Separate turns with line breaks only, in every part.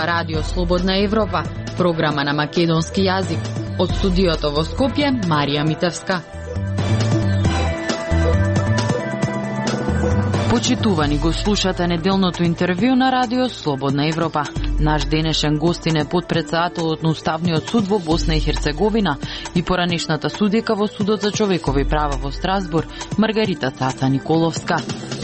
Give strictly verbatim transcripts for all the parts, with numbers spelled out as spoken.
зборува Радио Слободна Европа, програма на македонски јазик. Од студиото во Скопје, Марија Митевска. Почитувани, го слушате неделното интервју на Радио Слободна Европа. Наш денешен гостин е потпредседателот на Уставниот суд во Босна и Херцеговина и поранешната судика во Судот за човекови права во Страсбург, Маргарита Цаца Николовска.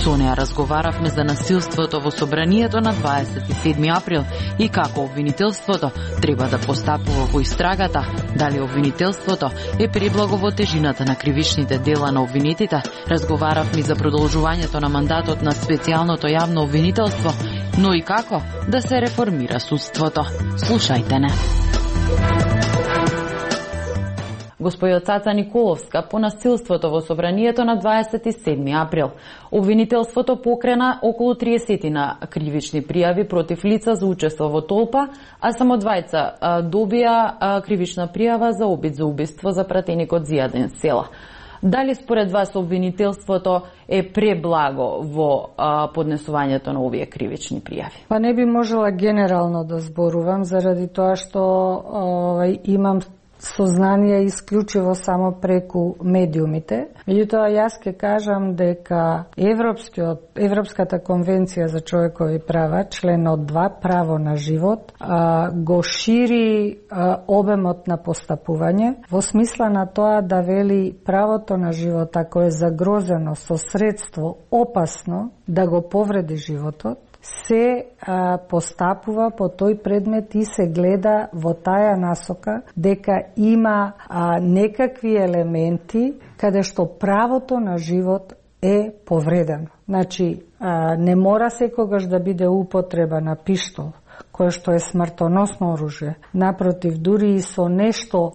Со неа разговаравме за насилството во собранието на дваесет и седми април и како обвинителството треба да постапува во истрагата, дали обвинителството е преблаго во тежината на кривичните дела на обвинетите. Разговаравме за продолжувањето на мандатот на специјалното јавно обвинителство, но и како да се реформира судството. Слушајте не. Господја Цаца Николовска, по насилството во собранието на дваесет и седми април. Обвинителството покрена околу триесет на кривични пријави против лица за учество во толпа, а само двајца добија кривична пријава за обид за убиство за пратеникот Зијаден Села. Дали според вас обвинителството е преблаго во а, поднесувањето на овие кривични пријави?
Па не би можела генерално да зборувам заради тоа што овај имам сознание исклучиво само преку медиумите. Меѓутоа јас ќе кажам дека Европскиот Европската конвенција за човекови права, членот два, право на живот, а, го шири а, обемот на постапување во смисла на тоа да вели правото на живот, ако е загрозено со средство опасно да го повреди животот, се а, постапува по тој предмет и се гледа во таја насока дека има а, некакви елементи каде што правото на живот е повредено. Значи, а, не мора секогаш да биде употреба на пиштол, кое што е смртоносно оружје. Напротив, дури и со нешто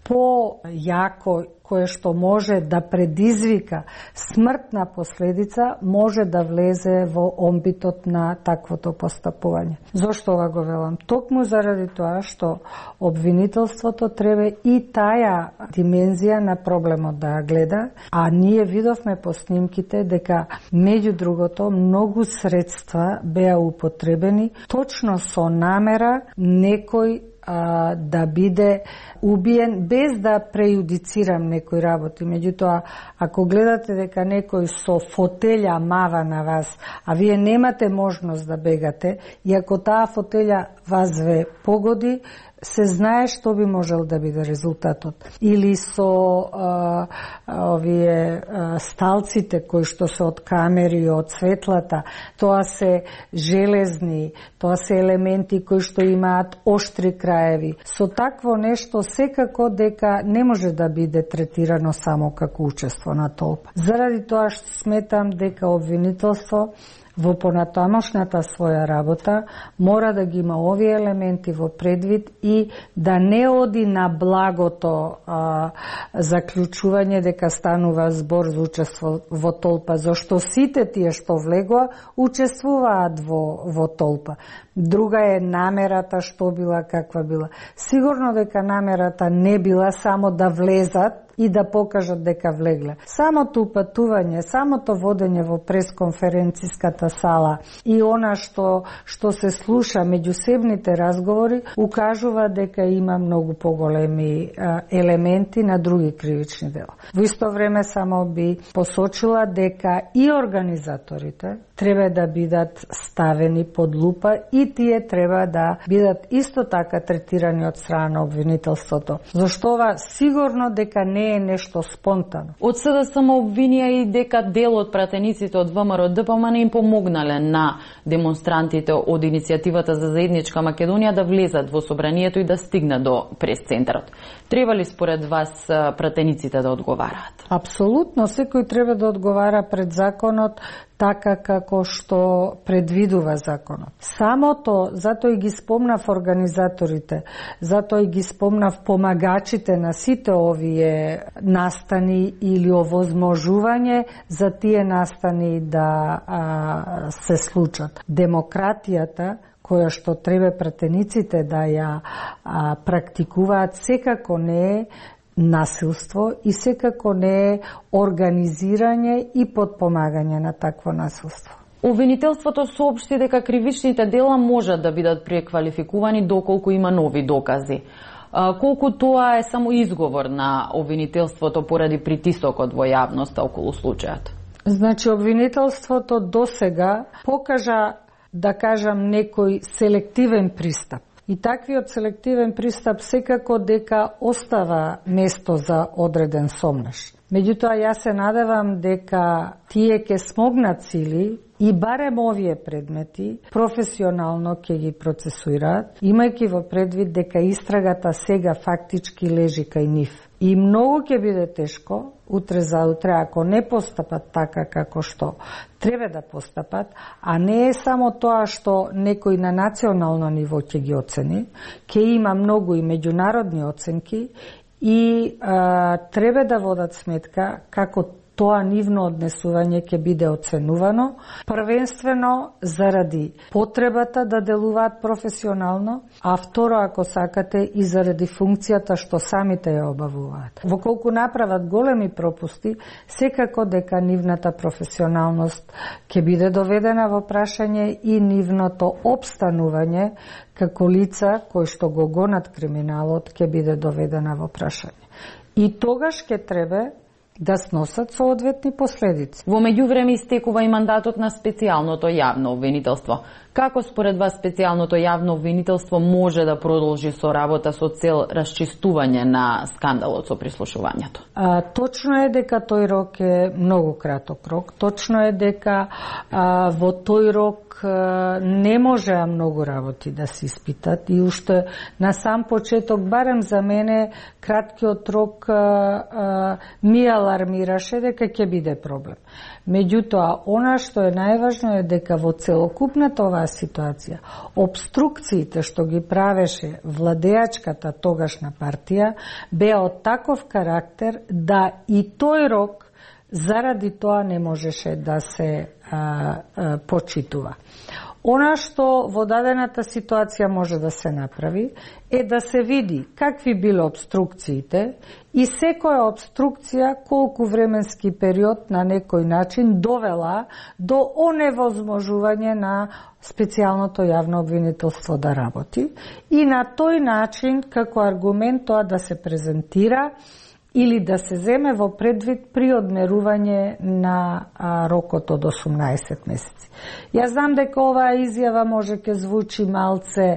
по-јако кое што може да предизвика смртна последица, може да влезе во омбитот на таквото постапување. Зошто ова го велам? Токму заради тоа што обвинителството треба и таја димензија на проблемот да гледа, а ние видовме по снимките дека меѓу другото многу средства беа употребени точно со намера некој да биде убиен без да прејудицирам некои работи. Меѓутоа, ако гледате дека некој со фотелја мава на вас, а вие немате можност да бегате, и ако таа фотелја вас ве погоди, се знае што би можел да биде резултатот. Или со а, овие а, сталците кои што се од камери и од светлата, тоа се железни, тоа се елементи кои што имаат оштри краеви. Со такво нешто секако дека не може да биде третирано само како учество на толпа. Заради тоа што сметам дека обвинителство во понатамошната своја работа мора да ги има овие елементи во предвид и да не оди на благото а, заклучување дека станува збор за учество во толпа, зашто сите тие што влегоа учествуваат во, во толпа. Друга е намерата што била, каква била. Сигурно дека намерата не била само да влезат и да покажат дека влегле. Самото упатување, самото водење во пресконференциската сала и она што што се слуша меѓусебните разговори укажува дека има многу поголеми а, елементи на други кривични дела. Во исто време само би посочила дека и организаторите треба да бидат ставени под лупа и тие треба да бидат исто така третирани од страна на обвинителството. Зашто ова сигурно дека не е нешто спонтано.
Од СДСМ обвинија и дека дел од пратениците од ВМРО Д P M не им помогнале на демонстрантите од иницијативата за заедничка Македонија да влезат во собранието и да стигнат до прес-центарот. Треба ли според вас пратениците да одговараат?
Апсолутно, секој треба да одговара пред законот така како што предвидува законот. Самото, затоа и ги спомнав организаторите, затоа и ги спомнав помагачите на сите овие настани или овозможување за тие настани да а, се случат. Демократијата која што треба пратениците да ја а, практикуваат, секако не е насилство и секако не е организирање и подпомагање на такво насилство.
Обвинителството соопшти дека кривичните дела можат да бидат преквалификувани доколку има нови докази. Колку тоа е само изговор на обвинителството поради притисокот во јавноста околу случајот?
Значи, обвинителството досега покажа, да кажам, некој селективен пристап. И таквиот селективен пристап секако дека остава место за одреден сомнеш. Меѓутоа, јас се надевам дека тие ќе смогнат сили и барем овие предмети професионално ќе ги процесуираат, имајќи во предвид дека истрагата сега фактички лежи кај нив. И многу ќе биде тешко утре за утре ако не постапат така како што треба да постапат, а не е само тоа што некој на национално ниво ќе ги оцени, ќе има многу и меѓународни оценки и а, треба да водат сметка како тоа нивно однесување ќе биде оценувано, првенствено заради потребата да делуваат професионално, а второ, ако сакате, и заради функцијата што самите ја обавуваат. Во колку направат големи пропусти, секако дека нивната професионалност ќе биде доведена во прашање и нивното обстанување како лица кои што го гонат криминалот ќе биде доведена во прашање. И тогаш ќе треба да сносат соодветни последици.
Во меѓувреме истекува и мандатот на специјалното јавно обвинителство. Како според вас специјалното јавно обвинителство може да продолжи со работа со цел расчистување на скандалот со прислушувањето?
А, точно е дека тој рок е многу краток рок. Точно е дека а, во тој рок а, не можеа многу работи да се испитат и уште на сам почеток, барем за мене, краткиот рок а, а, ми алармираше дека ќе биде проблем. Меѓутоа, она што е најважно е дека во целокупната оваа ситуација, обструкциите што ги правеше владеачката тогашна партија беа од таков карактер да и тој рок заради тоа не можеше да се а, а, почитува. Она што во дадената ситуација може да се направи е да се види какви биле обструкциите и секоја обструкција колку временски период на некој начин довела до оневозможување на специјалното јавно обвинителство да работи и на тој начин како аргумент тоа да се презентира или да се земе во предвид при одмерување на а, рокот од осумнаесет месеци. Јас знам дека оваа изјава може ке звучи малце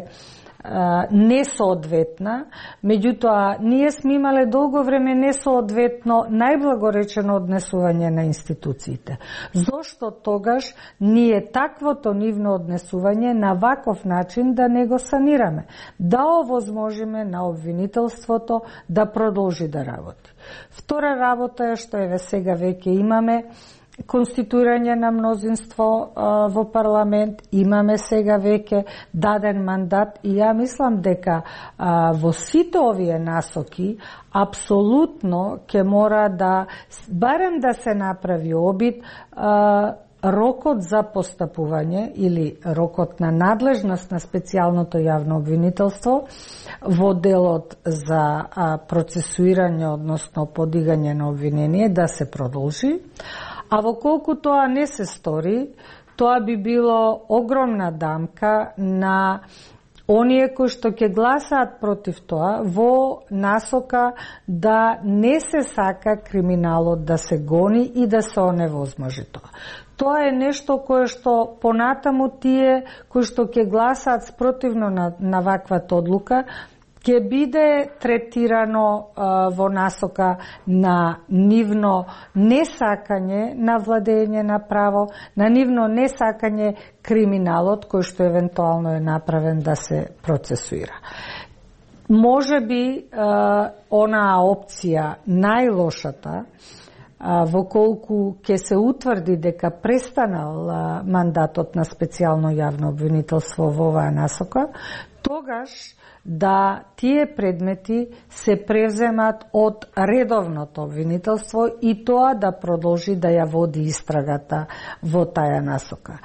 а, несоодветна, меѓутоа ние сме имале долго време несоодветно најблагоречено однесување на институциите. Зошто тогаш ние таквото нивно однесување на ваков начин да не го санираме, да овозможиме на обвинителството да продолжи да работи. Втора работа е што еве сега веќе имаме конституирање на мнозинство а, во парламент, имаме сега веќе даден мандат и ја мислам дека а, во сите овие насоки апсолутно ќе мора да барем да се направи обид а, рокот за постапување или рокот на надлежност на специјалното јавно обвинителство во делот за а, процесуирање, односно подигање на обвинение, да се продолжи. А во колку тоа не се стори, тоа би било огромна дамка на оние кои што ќе гласаат против тоа во насока да не се сака криминалот да се гони и да се оневозможи тоа. Тоа е нешто кое што понатаму тие кои што ќе гласаат спротивно на, на ваквата одлука ќе биде третирано а, во насока на нивно несакање на владење на право, на нивно несакање криминалот кој што евентуално е направен да се процесуира. Може би а, онаа опција најлошата, а, во колку ќе се утврди дека престанал а, мандатот на специјално јавно обвинителство во оваа насока, тогаш да тие предмети се превземат од редовното обвинителство и тоа да продолжи да ја води истрагата во таја насока.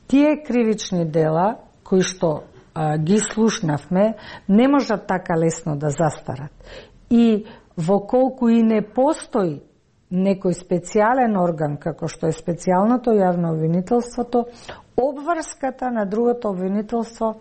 Тие кривични дела кои што а, ги слушнавме не можат така лесно да застарат. И во колку и не постои некој специјален орган, како што е специјалното јавно обвинителството, обврската на другото обвинителство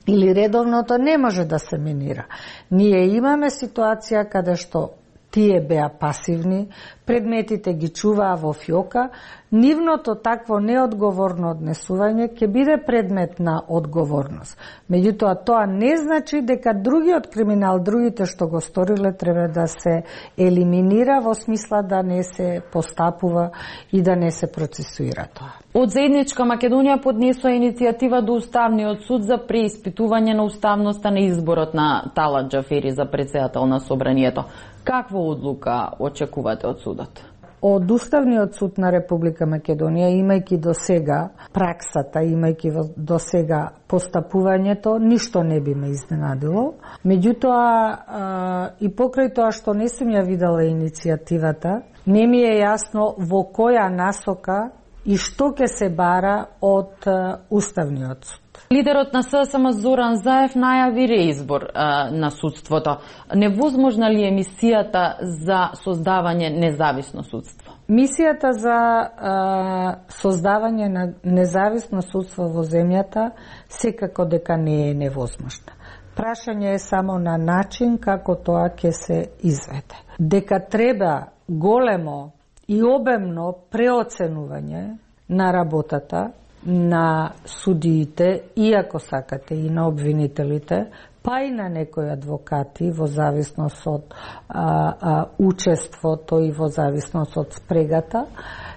или редовното не може да се минира. Ние имаме ситуација каде што тие беа пасивни, предметите ги чуваа во фиока, нивното такво неодговорно однесување ќе биде предмет на одговорност. Меѓутоа, тоа не значи дека другиот криминал, другите што го сториле, треба да се елиминира во смисла да не се постапува и да не се процесуира тоа.
Од Заедничка Македонија поднесува иницијатива до Уставниот суд за преиспитување на уставноста на изборот на Талат Џафери за председател на Собранието. Каква одлука очекувате од судот?
Од Уставниот суд на Република Македонија, имајќи до сега праксата, имајќи до сега постапувањето, ништо не би ме изненадило. Меѓутоа, и покрај тоа што не сум ја видела иницијативата, не ми е јасно во која насока и што ќе се бара од Уставниот суд.
Лидерот на ССМ Зоран Заев најави реизбор а, на судството. Невозможна ли е мисијата за создавање независно судство?
Мисијата за а, создавање на независно судство во земјата секако дека не е невозможна. Прашање е само на начин како тоа ќе се изведе. Дека треба големо и обемно преоценување на работата на судиите, иако сакате и на обвинителите, па и на некои адвокати во зависност од а, а, учеството и во зависност од спрегата,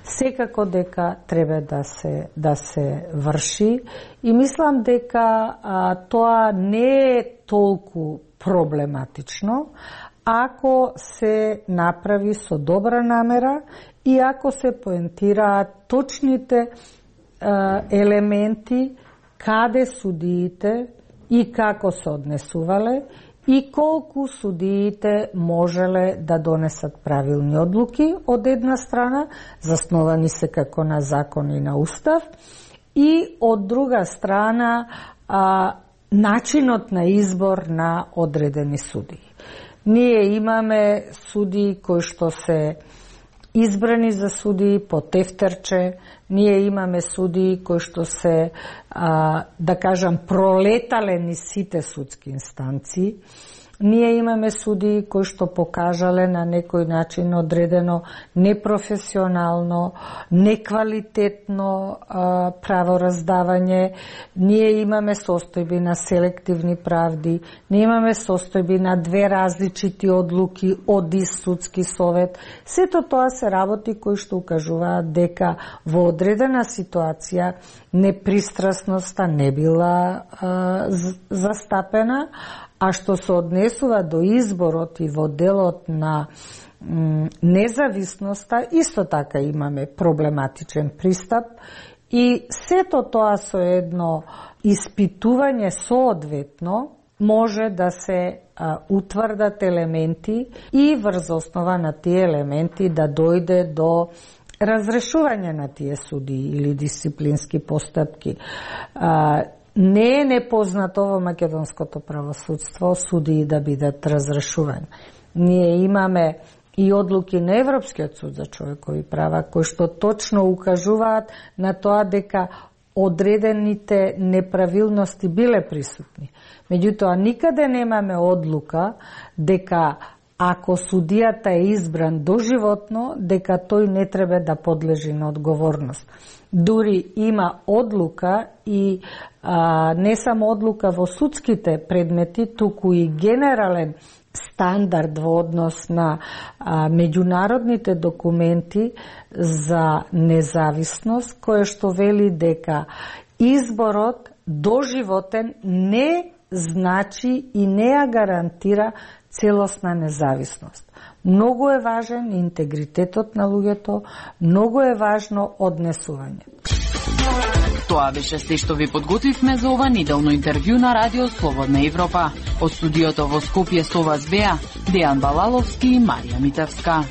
секако дека треба да се да се врши и мислам дека а, тоа не е толку проблематично ако се направи со добра намера и ако се поентираат точните елементи каде судиите и како се однесувале и колку судиите можеле да донесат правилни одлуки од една страна, засновани се како на закон и на устав, и од друга страна а, начинот на избор на одредени судии. Ние имаме судии кои што се избрани за судии по тефтерче, ние имаме судии кои што се, а, да кажам, пролетале низ сите судски инстанции. Ние имаме судии кои што покажале на некој начин одредено непрофесионално, неквалитетно а, правораздавање. Ние имаме состојби на селективни правди, ние имаме состојби на две различити одлуки од ист судски совет. Сето тоа се работи кои што укажуваат дека во одредена ситуација непристрасноста не била а, застапена, а што се однесува до изборот и во делот на м, независноста, исто така имаме проблематичен пристап и сето тоа со едно испитување соодветно може да се а, утврдат елементи и врз основа на тие елементи да дојде до разрешување на тие судии или дисциплински постапки. А, Не е непознато во македонското правосудство судии да бидат разрешувани. Ние имаме и одлуки на Европскиот суд за човекови права, кои што точно укажуваат на тоа дека одредените неправилности биле присутни. Меѓутоа, никаде немаме одлука дека ако судијата е избран доживотно, дека тој не треба да подлежи на одговорност. Дури има одлука и а, не само одлука во судските предмети, туку и генерален стандард во однос на а, меѓународните документи за независност, кое што вели дека изборот доживотен не значи и не ја гарантира целосна независност. Многу е важен интегритетот на луѓето, многу е важно однесување.
Тоа беше се што ви подготвивме за ова неделно интервју на Радио Слободна Европа. Од студиото во Скопје со вас беа Дејан Балаловски и Марија Митевска.